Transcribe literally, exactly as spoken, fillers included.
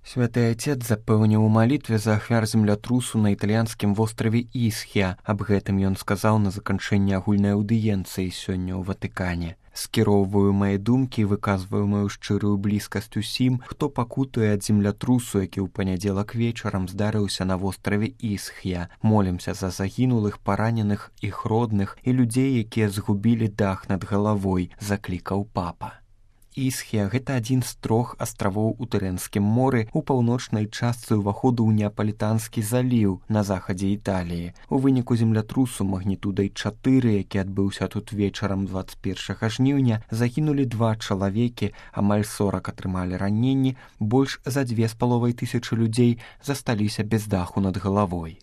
Святы Отец запэўніў у малітве за ахвяр землятрусу на італьянскім востраве Ісхія. Аб гэтым ён сказаў на заканчэнні агульнай аўдыенцыі сёння ў Ватыкане. Скіроўваю мае думкі і выказваю маю шчырую блізкасць усім, хто пакутуе ад землятрусу, які ў панядзелак вечарам здарыўся на востраве Ісхія. Молімся за загінулых, параненых, іх родных і людзей, якія згубілі дах над галавой, заклікаў папа. Ісхія – гэта адзін з трох астравоў у Тырэнскім моры ў паўночнай частцы ўваходу ў Неапалітанскі заліў на захадзе Італіі. У выніку землятрусу магнітудай чатыры, які адбыўся тут вечарам дваццаць першага жніўня, загінулі два чалавекі, амаль сорак атрымалі раненні, больш за дзве з паловай тысячы людзей засталіся без даху над галавой.